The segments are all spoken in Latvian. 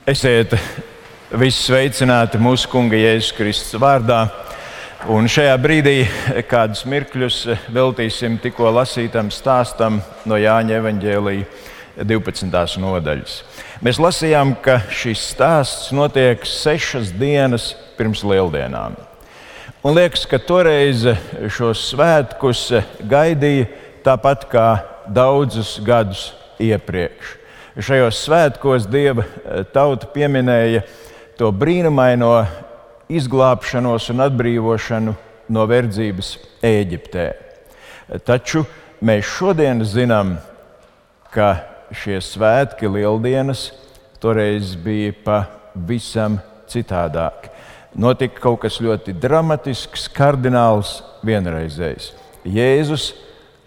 Esiet visi sveicināti mūsu Kunga Jēzus Kristus vārdā. Un šajā brīdī kādus mirkļus veltīsim tikko lasītam stāstam no Jāņa evaņģēlija 12. nodaļas. Mēs lasījām, ka šis stāsts notiek 6 dienas pirms Lieldienām. Un liekas, ka toreiz šos svētkus gaidīja tāpat kā daudzus gadus iepriekš. Šajos svētkos Dieva tauta pieminēja to brīnumaino izglābšanos un atbrīvošanu no verdzības Ēģiptē. Taču mēs šodien zinām, ka šie svētki, Lieldienas, toreiz bija pavisam citādāk. Notika kaut kas ļoti dramatisks, kardināls, vienreizējs. Jēzus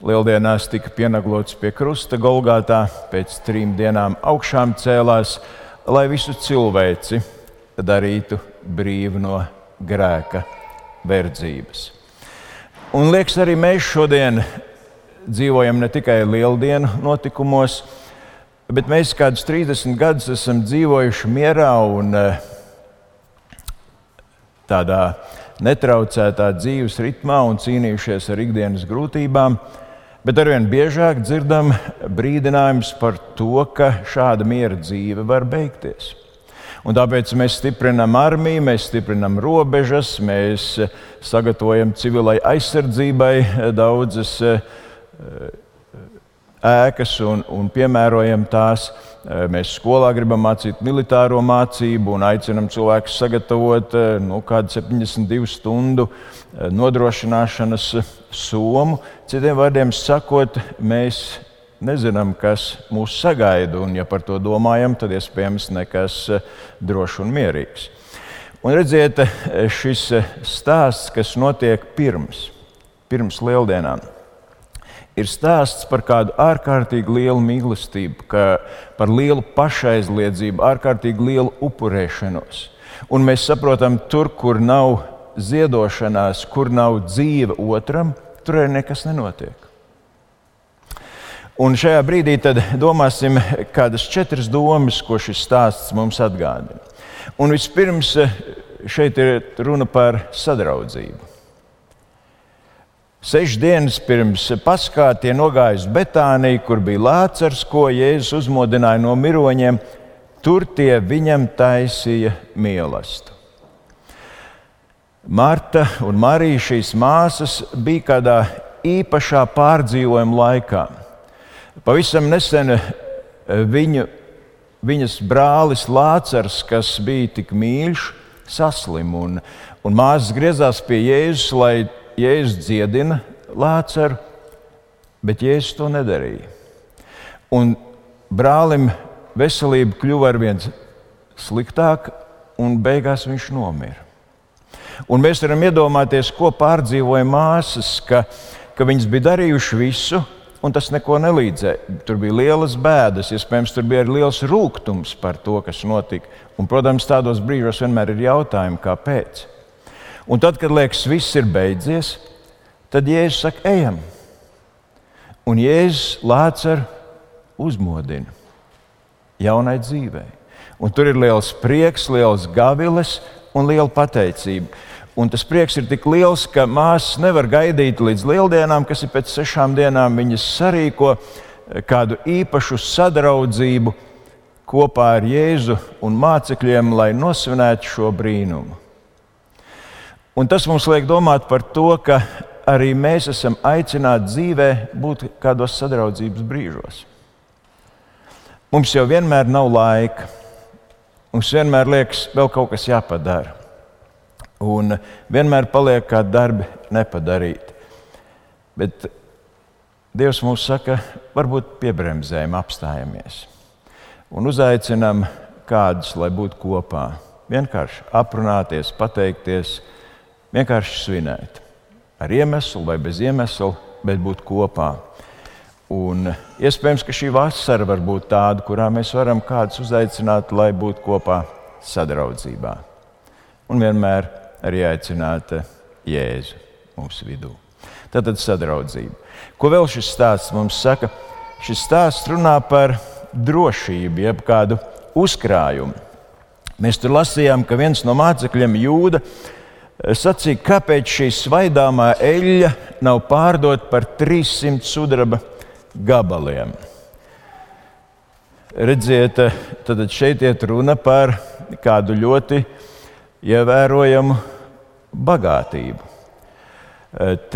Lieldienās tika pienaglots pie krusta Golgātā, pēc 3 dienām augšām cēlās, lai visu cilvēci darītu brīvu no grēka verdzības. Un liekas, arī mēs šodien dzīvojam ne tikai Lieldienu notikumos, bet mēs kādus 30 gadus esam dzīvojuši mierā un tādā netraucētā dzīves ritmā un cīnījušies ar ikdienas grūtībām, bet arvien biežāk dzirdam brīdinājumus par to, ka šāda miera dzīve var beigties. Un tāpēc mēs stiprinām armiju, mēs stiprinām robežas, mēs sagatavojam civilai aizsardzībai daudzas ēkas un piemērojam tās. Mēs skolā gribam mācīt militāro mācību un aicinam cilvēkus sagatavot kādu 72 stundu nodrošināšanas somu. Citiem vārdiem sakot, mēs nezinām, kas mūs sagaida, un ja par to domājam, tad iespējams nekas drošs un mierīgs. Un redziet, šis stāsts, kas notiek pirms Lieldienām, ir stāsts par kādu ārkārtīgi lielu mīlestību, par lielu pašaizliedzību, ārkārtīgi lielu upurēšanos. Un mēs saprotam, tur, kur nav ziedošanās, kur nav dzīve otram, tur arī nekas nenotiek. Un šajā brīdī tad domāsim kādas 4 domas, ko šis stāsts mums atgādina. Un vispirms šeit ir runa par sadraudzību. 6 dienas pirms Paskā tie nogāja uz Betāniju, kur bija Lācars, ko Jēzus uzmodināja no miroņiem. Tur tie viņam taisīja mīlestību. Marta un Marija, šīs māsas, bija kādā īpašā pārdzīvojuma laikā. Pavisam nesen viņas brālis Lācars, kas bija tik mīļš, saslima. Un māsas griezās pie Jēzus, lai Jēzus dziedina Lācaru, bet Jēzus to nedarīja. Un brālim veselība kļuva arvien sliktāka, un beigās viņš nomira. Un mēs varam iedomāties, ko pārdzīvoja māsas, ka viņas bija darījuši visu, un tas neko nelīdzēja. Tur bija lielas bēdas, iespējams, tur bija arī liels rūgtums par to, kas notika. Un, protams, tādos brīžos vienmēr ir jautājumi, kāpēc. Un tad, kad liekas, viss ir beidzies, tad Jēzus saka, ejam. Un Jēzus Lācaru uzmodina jaunai dzīvei. Un tur ir liels prieks, liels gaviles un liela pateicība. Un tas prieks ir tik liels, ka māsas nevar gaidīt līdz Lieldienām, kas ir pēc 6 dienām. Viņas sarīko kādu īpašu sadraudzību kopā ar Jēzu un mācekļiem, lai nosvinētu šo brīnumu. Un tas mums liek domāt par to, ka arī mēs esam aicināti dzīvē būt kādos sadraudzības brīžos. Mums jau vienmēr nav laika. Mums vienmēr liekas, vēl kaut kas jāpadara. Un vienmēr paliek kādi darbi nepadarīti. Bet Dievs mums saka, varbūt piebremzējam, apstājamies. Un uzaicinam kādus, lai būtu kopā. Vienkārši aprunāties, pateikties, vienkārši svinēt. Ar iemeslu vai bez iemesla, bet būt kopā. Un iespējams, ka šī vasara var būt tāda, kurā mēs varam kādus uzaicināt, lai būtu kopā sadraudzībā. Un vienmēr arī aicināt Jēzu mūsu vidū. Tātad sadraudzība. Ko vēl šis stāsts mums saka? Šis stāsts runā par drošību, jeb kādu uzkrājumu. Mēs tur lasījām, ka viens no mācekļiem, Jūda, sacīja, kāpēc šī svaidāmā eļļa nav pārdota par 300 sudraba gabaliem. Redziet, tad šeit iet runa par kādu ļoti ievērojamu bagātību.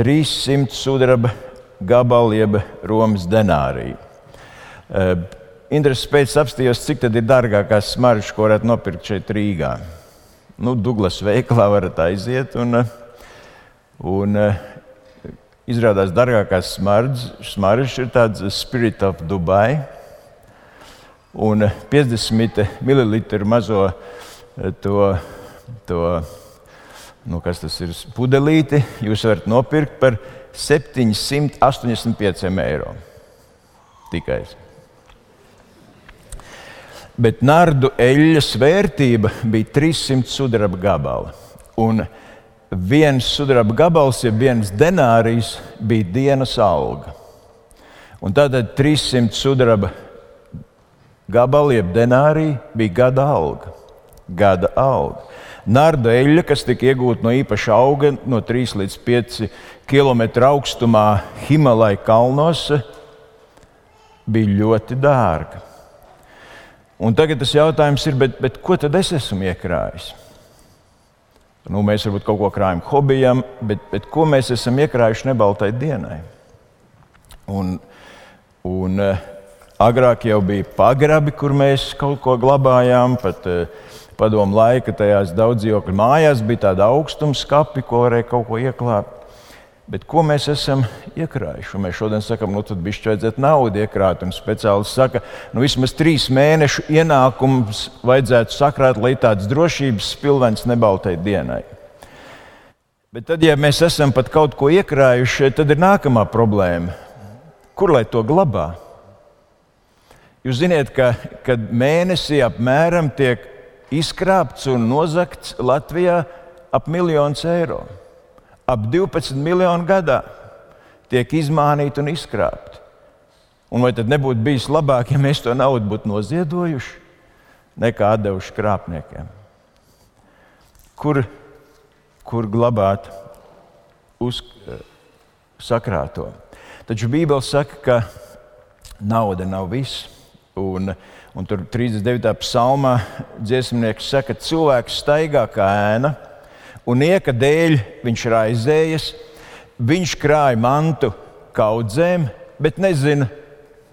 300 sudraba gabali, jeb Romas denāriju. Intereses pēc apstījos, cik tad ir dārgākās smaržas, ko varētu nopirkt šeit Rīgā. Douglas veikalā varat aiziet un izrādās dārgākās smaržas ir tāds Spirit of Dubai un 50 ml mazo kas tas ir, pudelīti jūs varat nopirkt par 785 eiro. Tikai. Bet nardu eļļas vērtība bija 300 sudraba gabali. Un viens sudraba gabals, ja viens denārijs, bija dienas alga. Un tātad 300 sudraba gabali, jeb denāriji, bija gada alga. Nardu eļļa, kas tika iegūta no īpaša auga, no 3 līdz 5 kilometru augstumā Himalaju kalnos, bija ļoti dārga. Un tagad tas jautājums ir, bet ko tad es esmu iekrājis? Mēs varbūt kaut ko krājam hobijam, bet ko mēs esam iekrājuši nebaltai dienai? Un agrāk jau bija pagrabi, kur mēs kaut ko glabājām, pat padomu laika tajās daudzdzīvokļu mājās bija tāda augstumskapi, ko varēja kaut ko ieklāt. Bet ko mēs esam iekrājuši? Un mēs šodien sakam, tad bišķi vajadzētu naudu iekrāt. Un speciālists saka, vismaz 3 mēnešu ienākums vajadzētu sakrāt, lai tāds drošības spilvens nebaltai dienai. Bet tad, ja mēs esam pat kaut ko iekrājuši, tad ir nākamā problēma. Kur lai to glabā? Jūs ziniet, ka mēnesī apmēram tiek izkrāpts un nozagts Latvijā ap 1 miljonu eiro. Ap 12 miljonu gadā tiek izmānīti un izkrāpti. Un vai tad nebūtu bijis labāk, ja mēs to naudu būtu noziedojuši, nekā atdevuši krāpniekiem? Kur glabāt sakrāto? Taču Bībele saka, ka nauda nav viss. Un tur 39. psalmā dziesmnieks saka, ka cilvēks staigā kā ēna, un nieka dēļ viņš raizējas, viņš krāj mantu kaudzēm, bet nezina,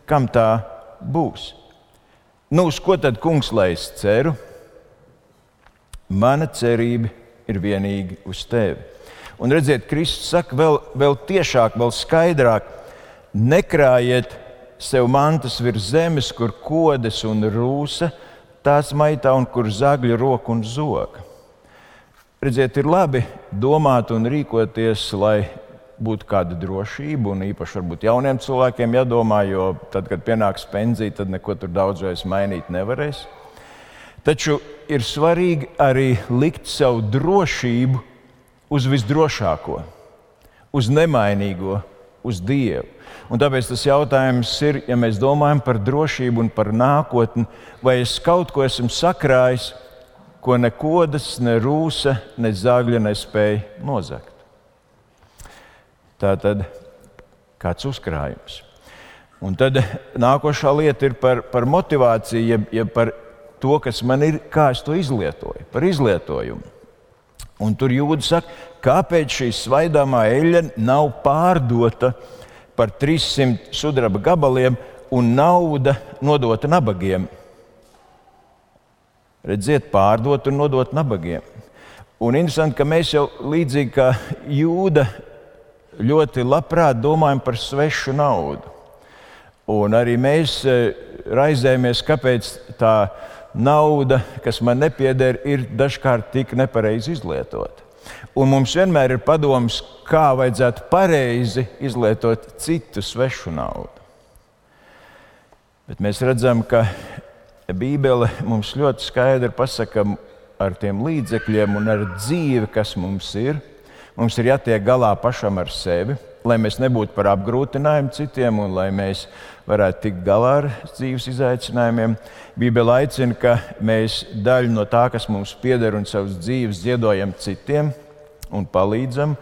kam tā būs. Uz ko tad, kungs, lai es ceru? Mana cerība ir vienīgi uz tevi. Un redziet, Kristus saka vēl tiešāk, vēl skaidrāk, nekrājiet sev mantas virs zemes, kur kodes un rūsa tās maitā un kur zagļu roka un zoga. Redziet, ir labi domāt un rīkoties, lai būtu kāda drošība, un īpaši varbūt jauniem cilvēkiem jādomā, jo tad, kad pienāks pensija, tad neko tur daudz vairs mainīt nevarēs. Taču ir svarīgi arī likt savu drošību uz visdrošāko, uz nemainīgo, uz Dievu. Un tāpēc tas jautājums ir, ja mēs domājam par drošību un par nākotni, vai es kaut ko esmu sakrājis, ko ne kodas, ne rūsa, ne zagļa nespēja nozagt. Tā tad kāds uzkrājums. Un tad nākošā lieta ir par motivāciju, ja par to, kas man ir, kā es to izlietoju, par izlietojumu. Un tur Jūda saka, kāpēc šī svaidāmā eļļa nav pārdota par 300 sudraba gabaliem un nauda nodota nabagiem. Redziet, pārdot un nodot nabagiem. Un interesanti, ka mēs jau līdzīgi kā Jūda ļoti labprāt domājam par svešu naudu. Un arī mēs raizējamies, kāpēc tā nauda, kas man nepieder, ir dažkārt tik nepareizi izlietota. Un mums vienmēr ir padoms, kā vajadzētu pareizi izlietot citu svešu naudu. Bet mēs redzam, ka Bībele mums ļoti skaidri pasaka ar tiem līdzekļiem un ar dzīvi, kas mums ir. Mums ir jātiek galā pašam ar sevi, lai mēs nebūtu par apgrūtinājumu citiem un lai mēs varētu tikt galā ar dzīves izaicinājumiem. Bībele aicina, ka mēs daļu no tā, kas mums pieder un savas dzīves ziedojam citiem un palīdzam.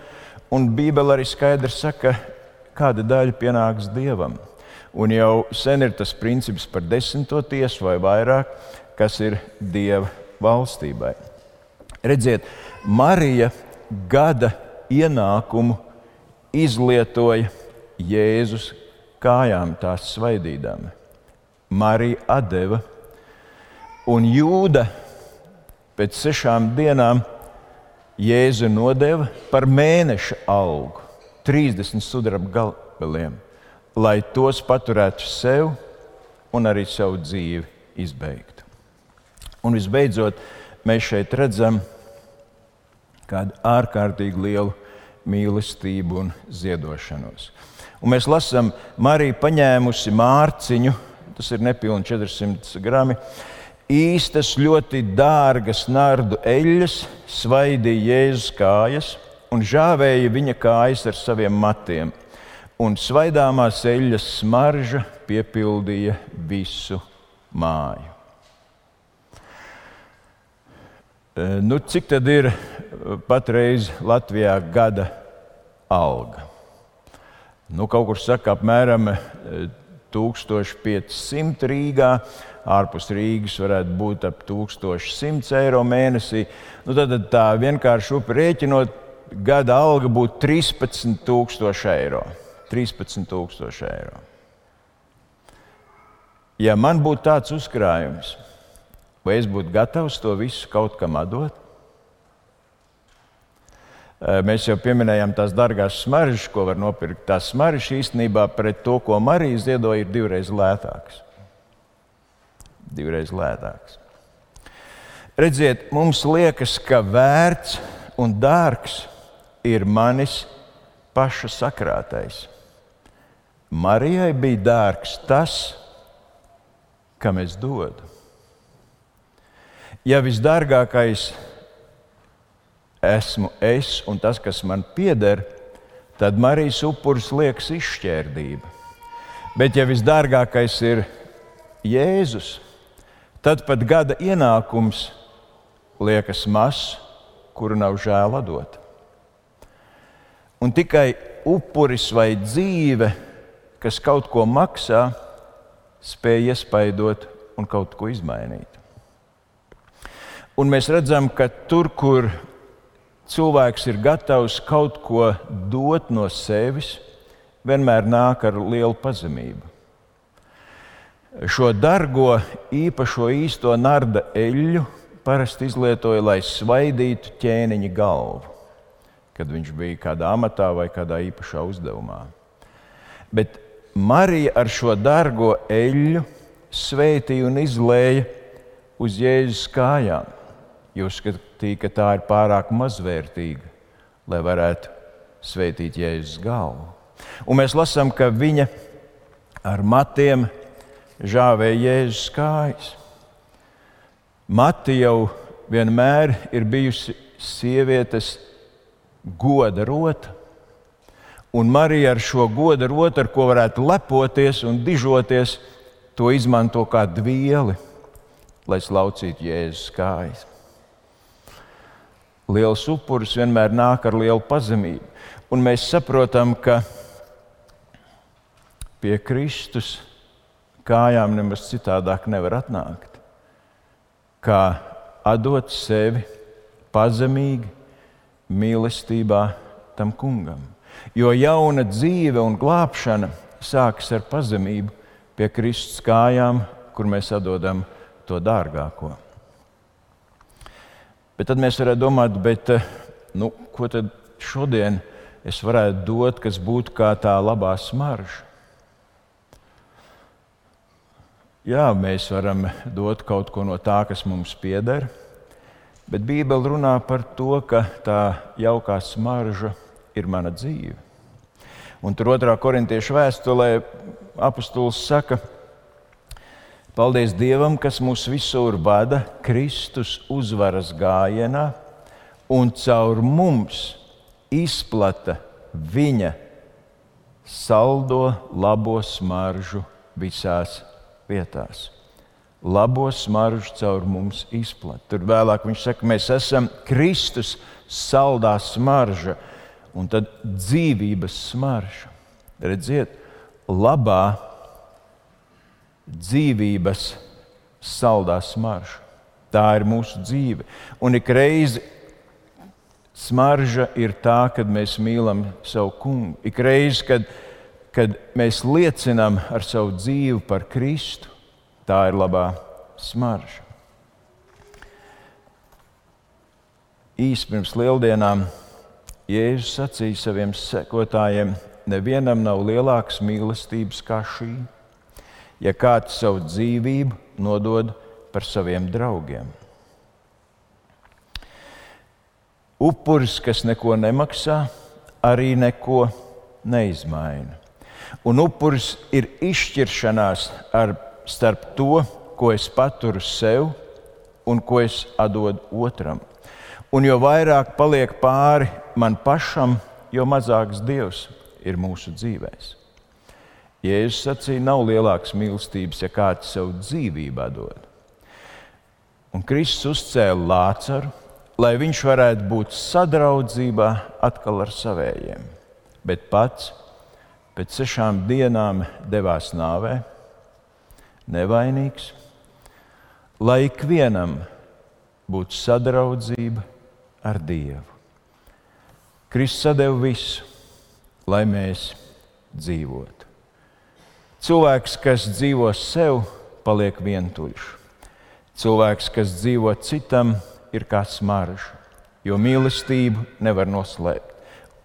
Un Bībele arī skaidri saka, kāda daļa pienāks Dievam. Un jau sen ir tas princips par 10. tiesu vai vairāk, kas ir Dieva valstībai. Redziet, Marija gada ienākumu izlietoja Jēzus kājām, tās svaidīdama. Marija atdeva, un Jūda pēc 6 dienām Jēzu nodeva par mēneša algu, 30 sudraba gabaliem, lai tos paturētu sev un arī savu dzīvi izbeigtu. Un visbeidzot, mēs šeit redzam kādu ārkārtīgi lielu mīlestību un ziedošanos. Un mēs lasām, Marija paņēmusi mārciņu, tas ir nepilni 400 grami, īstas ļoti dārgas nardu eļļas, svaidīja Jēzus kājas un žāvēja viņa kājas ar saviem matiem. Un svaidāmās eļļas smarža piepildīja visu māju. Cik tad ir patreiz Latvijā gada alga? Kaut kur saka apmēram 1500 Rīgā, ārpus Rīgas varētu būt ap 1100 eiro mēnesī. Tad tā vienkārši rēķinot, gada alga būtu 13,000 eiro. 13,000 eiro. Ja man būtu tāds uzkrājums, vai es būtu gatavs to visu kaut kam atdot? Mēs jau pieminējām tās dārgās smaržas, ko var nopirkt. Tās smaržas īstenībā pret to, ko Marija ziedoja, ir 2 reizes lētākas. 2 reizes lētākas. Redziet, mums liekas, ka vērts un dārgs ir manis paša sakrātais. Marijai bija dārgs tas, kam es dodu. Ja visdārgākais esmu es un tas, kas man pieder, tad Marijas upuris liekas izšķērdība. Bet ja visdārgākais ir Jēzus, tad pat gada ienākums liekas mazs, kuru nav žēl atdot. Un tikai upuris vai dzīve, kas kaut ko maksā, spēj iespaidot un kaut ko izmainīt. Un mēs redzam, ka tur, kur cilvēks ir gatavs kaut ko dot no sevis, vienmēr nāk ar lielu pazemību. Šo dargo, īpašo īsto narda eļļu parasti izlietoja, lai svaidītu ķēniņa galvu, kad viņš bija kādā amatā vai kādā īpašā uzdevumā. Bet Marija ar šo dargo eļļu svētīja un izlēja uz Jēzus kājām. Jūs skatījāt, ka tā ir pārāk mazvērtīga, lai varētu svētīt Jēzus galvu. Un mēs lasām, ka viņa ar matiem žāvēja Jēzus kājas. Mati jau vienmēr ir bijusi sievietes goda rota. Un Marija ar šo goda rotu, ar ko varētu lepoties un dižoties, to izmanto kā dvieli, lai slaucītu Jēzus kājas. Liels upuris vienmēr nāk ar lielu pazemību. Un mēs saprotam, ka pie Kristus kājām nemaz citādāk nevar atnākt, kā atdot sevi pazemīgi, mīlestībā tam kungam. Jo jauna dzīve un glābšana sākas ar pazemību pie Kristus kājām, kur mēs atdodam to dārgāko. Bet tad mēs varētu domāt, ko tad šodien es varētu dot, kas būtu kā tā labā smarža? Jā, mēs varam dot kaut ko no tā, kas mums pieder, bet Bībele runā par to, ka tā jaukā smarža ir mana dzīve. Un tur 2. Korintiešu vēstulē apostols saka: paldies Dievam, kas mūs visur vada Kristus uzvaras gājienā un caur mums izplata viņa saldo labo smaržu visās vietās. Labo smaržu caur mums izplat. Tur vēlāk viņš saka, mēs esam Kristus saldā smarža un tad dzīvības smarža. Redziet, labā dzīvības saldā smarža. Tā ir mūsu dzīve. Un ik reizi smarža ir tā, kad mēs mīlam savu kungu. Ik reizi, kad mēs liecinām ar savu dzīvi par Kristu, tā ir labā smarža. Īsi pirms lieldienām Jēzus sacīja saviem sekotājiem, nevienam nav lielākas mīlestības kā šī, ja kāds savu dzīvību nodod par saviem draugiem. Upuris, kas neko nemaksā, arī neko neizmaina. Un upuris ir izšķiršanās starp to, ko es paturu sev un ko es atdodu otram. Un jo vairāk paliek pāri man pašam, jo mazāks Dievs ir mūsu dzīvēs. Jēzus sacīja, nav lielākas mīlestības, ja kāds savu dzīvību atdod. Un Kristus uzcēla Lācaru, lai viņš varētu būt sadraudzībā atkal ar savējiem. Bet pats pēc 6 dienām devās nāvē, nevainīgs, lai ikvienam būtu sadraudzība ar Dievu. Kristus sadeva visu, lai mēs dzīvotu. Cilvēks, kas dzīvo sev, paliek vientuļš. Cilvēks, kas dzīvo citam, ir kā smarža, jo mīlestību nevar noslēpt.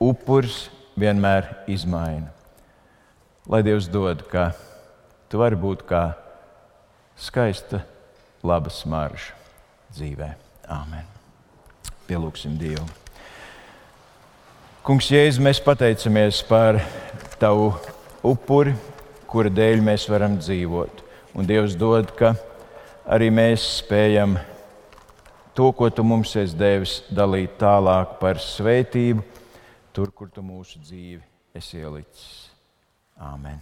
Upuris vienmēr izmaina. Lai Dievs dod, ka tu vari būt kā skaista, laba smarža dzīvē. Āmen. Pielūgsim Dievu. Kungs Jēzus, mēs pateicamies par tavu upuri, kura dēļ mēs varam dzīvot. Un Dievs dod, ka arī mēs spējam to, ko tu mums esi devis, dalīt tālāk par svētību, tur, kur tu mūsu dzīvi esi ielicis. Āmen.